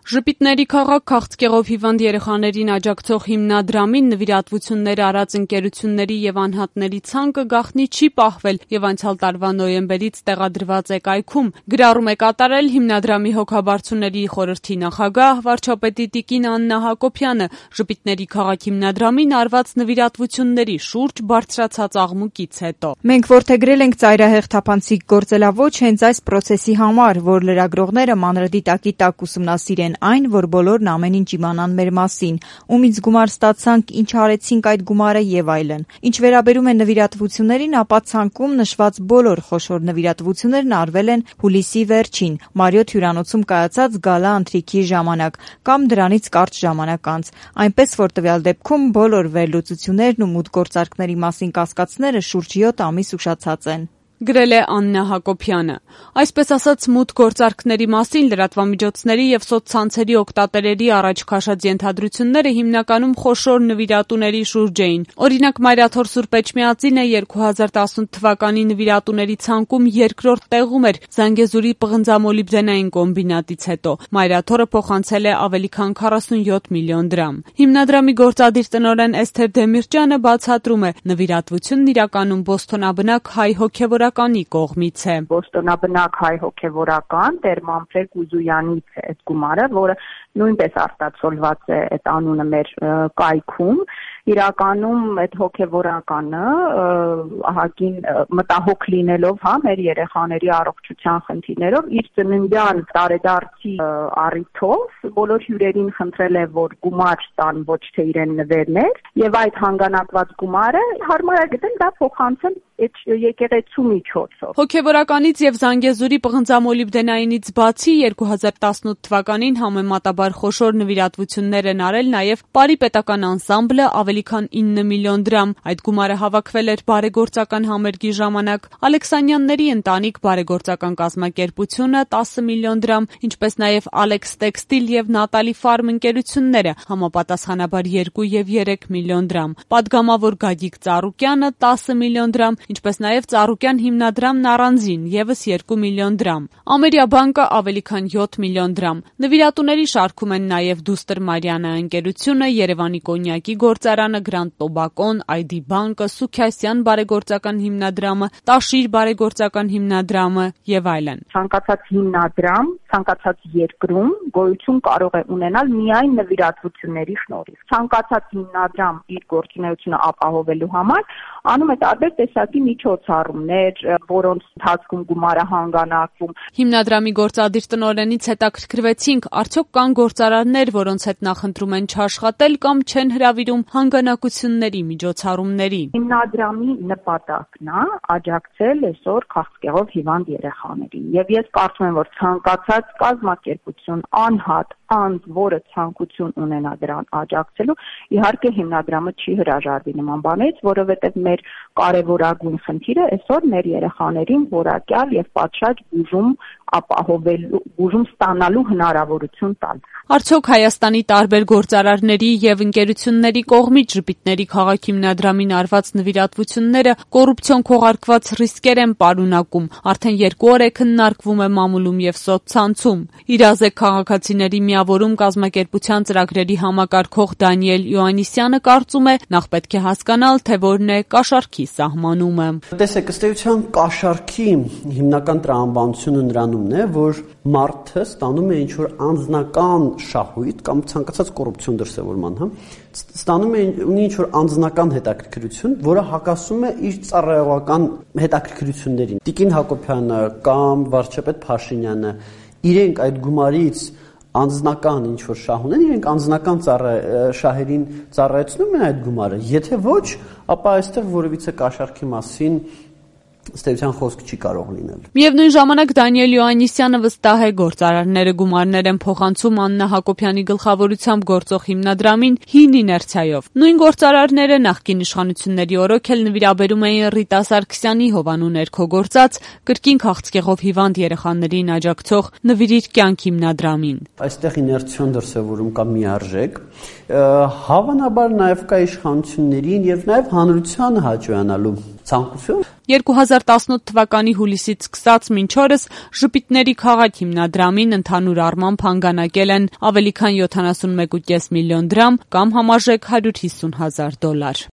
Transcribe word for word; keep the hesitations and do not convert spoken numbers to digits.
Ժպիտների քաղաք քաղցկեղով հիվանդ երեխաներին աջակցող հիմնադրամին նվիրատվություններ արած ընկերությունների եւ անհատների ցանկը գաղտնի չի պահվել եւ անցյալ տարվա նոյեմբերից տեղադրված է կայքում։ Գրառում է կատարել հիմնադրամի հոգաբարձուների խորհրդի նախագահ վարչապետի տիկին Աննա Հակոբյանը Ժպիտների քաղաք հիմնադրամին արված նվիրատվությունների շուրջ բարձրացած աղմուկից հետո։ Մենք որդեգրել ենք ծայրահեղ թափանցիկ գործելավոճ հենց այս պրոցեսի համար, որ լրագրողները մանրադիտակի տակ ուսումնասիրեն այն, որ բոլորն ամեն ինչ իմանան մեր մասին, ումից գումար ստացանք, ինչ արեցինք այդ գումարը եւ այլն։ Ինչ վերաբերում է նվիրատվություններին, ապա ցանկում նշված բոլոր խոշոր նվիրատվություններն արվել են հուլիսի վերջին, Մարիոթ հյուրանոցում կայացած գալա ընթրիքի ժամանակ կամ դրանից կարճ ժամանակ անց, այնպես որ տվյալ դեպքում բոլոր վերլուծություններն ու մուտքգործարկների մասին կասկածները շուրջ յոթ ամիս ուշացած են։ Գրել է Աննա Հակոբյանը։ Այսպես ասած, մուտքգործարկների մասին լրատվամիջոցների եւ սոցցանցերի օգտատերերի առաջ քաշած ենթադրությունները հիմնականում խոշոր նվիրատուների շուրջ էին։ Օրինակ, Մայրաթոր Սուրբ Էջմիածինը երկու հազար տասնութ թվականի նվիրատուների ցանկում երկրորդ տեղում էր Զանգեզուրի պղնձամոլիբդենային կոմբինատից հետո։ Մայրաթորը փոխանցել է ավելի քան քառասունյոթ միլիոն դրամ։ Հիմնադրամի գործադիր տնօրեն Էսթեր Դեմիրճյանը բացատրում է, նվիրատվությունն իրականում բոստոնաբնակ հայ հոգևորականի կողմից է։ Բոստոնաբնակ հայ հոգևորական Տեր Մանֆրեդ Ուզույանից է այդ գումարը, որը նույնպես արտացոլված է այդ անունը մեր կայքում։ Իրականում այդ հոգևորականը ահագին մտահոգ լինելով, հա, մեր երեխաների առողջության խնդիրներով իր ծննդյան տարեդարձի առիթով բոլոր հյուրերին խնդրել է, որ գումար տան, ոչ թե իրեն նվերներ, եւ այդ հանգանակված գումարը հարմար է գտել դա փոխանցել այդ եկեղեցու միջոցով։ Հոգևորականից եւ Զանգեզուրի պղնձամոլիբդենայինից բացի երկու հազար տասնութ թվականին համեմատաբար խոշոր նվիրատվություններ են արել նաեւ Պարի պետական անսամբլը ավելի քան ինը միլիոն դրամ։ Այդ գումարը հավաքվել էր բարեգործական համերգի ժամանակ։ Ալեքսանյանների ընտանիք բարեգործական կազմակերպությունը տասը միլիոն դրամ, ինչպես նաեւ Ալեքս Տեքստիլ եւ Նատալի Ֆարմ ընկերությունները համապատասխանաբար երկու եւ երեք միլիոն դրամ։ Պատգամավոր Գագիկ Ծառուկյանը տասը միլիոն դրամ, ինչպես նաեւ Ծառուկյան հիմնադրամն առանձին եւս երկու միլիոն դրամ։ Ամերիա բանկը ավելի քան յոթ միլիոն դրամ։ Նվիրատուների շարքում են նաեւ Դուստր Մարիանա ընկերությունը, Երևանի կոնյակի գործարանը, Գրանդ Տոբակոն, Այ Դի բանկը, Սուքյասյան բարեգործական հիմնադրամը, Տաշիր բարեգործական հիմնադրամը եւ այլն։ Ցանկացած հիմնադրամ, ցանկացած երկրում գոյություն կարող է ունենալ միայն նվիրատվությունների շնորհիվ։ Ցանկացած հիմնադրամ իր գործունեությունը ապահովելու համար անում է տարբեր տեսակի միջոցառումներ, որոնց ընթացքում գումարը հանգանակվում։ Հիմնադրամի գործադիր տնօրենից հետաքրքրվեցինք, արդյոք կան գործարաններ, որոնց հետ նախընտրում են չաշխատել կամ չեն հրավիրում հանգանակությունների միջոցառումների։ Հիմնադրամի նպատակն է աջակցել այսօր քաղցկեղով հիվանդ երեխաներին։ Եվ ես կարծում եմ, որ ցանկացած կազմակերպություն, անհատ, անձ, որը ցանկություն ունենա դրան աջակցելու, իհարկե հիմնադրամը չի հրաժարվի նման բաներից, որովհետև մեր կարևորագույն խնդիրը այսօր մեր երեխաներին որակյալ եւ պատշաճ բուժում ապահովելու, բուժում ստանալու հնարավորություն տալ։ Արդյոք Հայաստանի տարբեր գործարարների եւ ընկերությունների կողմից Ժպիտների քաղաք հիմնադրամին արված նվիրատվությունները կոռուպցիոն քողարկված ռիսկեր են պարունակում։ Արդեն երկու օր է քննարկվում է մամուլում եւ սոցցանցում։ Իրազեկ քաղաքացիների միավորում կազմակերպության ծրագրերի համակարգող Դանիել Յոաննիսյանը կարծում է, նախ պետք է հասկանալ, թե որն է կաշառքի սահմանումը։ Տեսեք, ըստ էության կաշառքի հիմնական տրամաբանությունը նրանումն է, որ մարդը ստանում է ինչ-որ անձնական շահույթ կամ ցանկացած կոռուպցիոն դրսևորման, հա, ստանում է ունի ինչ-որ անձնական հետաքրքրություն, որը հակասում է իր ծառայողական հետաքրքրություններին։ Տիկին Հակոբյանը կամ վարչապետ Փաշինյանը իրենք այդ գումարից անձնական ինչ-որ շահ ունեն, իրենք անձնական շահերին ծառայեցնում են այդ գումարը։ Եթե ոչ, ապա այստեղ որևիցե կաշառքի մասին ստեյության խոսք չի կարող լինել։ Միևնույն ժամանակ Դանիել Յոաննիսյանը վստահ է, գործարարները գումարներ են փոխանցում Աննա Հակոբյանի գլխավորությամբ գործող հիմնադրամին հին իներցիայով։ Նույն գործարարները նախկին իշխանությունների օրոք էլ նվիրաբերում էին Ռիտա Սարգսյանի հովանու ներքո գործած կրկին քաղցկեղով հիվանդ երեխաներին աջակցող Նվիրիր կյանք հիմնադրամին։ Այստեղ իներցիոն դրսևորում կա միարժեք, հավանաբար նաև կա իշխանություններին եւ նաև հանրությանը հաճոյանալու ցանկություն, երկու հազար տասնութ թվականի հուլիսից սկսած մինչ օրս Ժպիտների քաղաք հիմնադրամին ընդհանուր առմամբ հանգանակել են ավելի քան յոթանասունմեկ կόμ պենս միլիոն դրամ կամ համարժեք հարյուր հիսուն հազար դոլար։